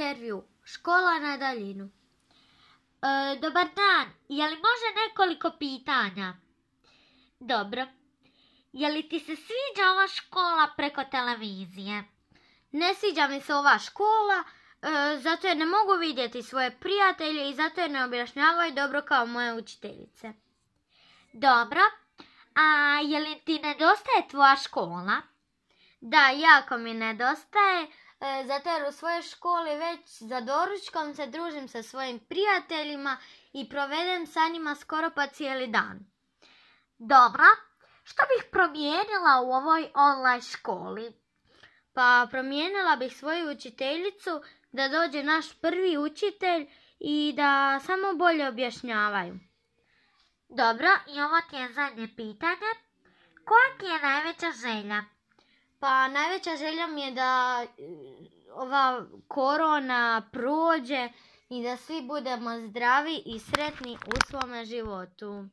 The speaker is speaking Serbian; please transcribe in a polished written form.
intervju. Škola na daljinu. Dobar dan, je li može nekoliko pitanja? Dobro. Je li ti se sviđa ova škola preko televizije? Ne sviđa mi se ova škola, zato jer ne mogu vidjeti svoje prijatelje i zato jer ne objašnjavaju dobro kao moje učiteljice. Dobro. A je li ti nedostaje tvoja škola? Da, jako mi nedostaje, zato jer u svojoj školi već za doručkom se družim sa svojim prijateljima i provedem sa njima skoro pa cijeli dan. Dobro, što bih promijenila u ovoj online školi? Pa promijenila bih svoju učiteljicu da dođe naš prvi učitelj i da samo bolje objašnjavaju. Dobro, i ovo ti je zadnje pitanje. Koja ti je najveća želja? Pa najveća želja mi je da ova korona prođe i da svi budemo zdravi i sretni u svome životu.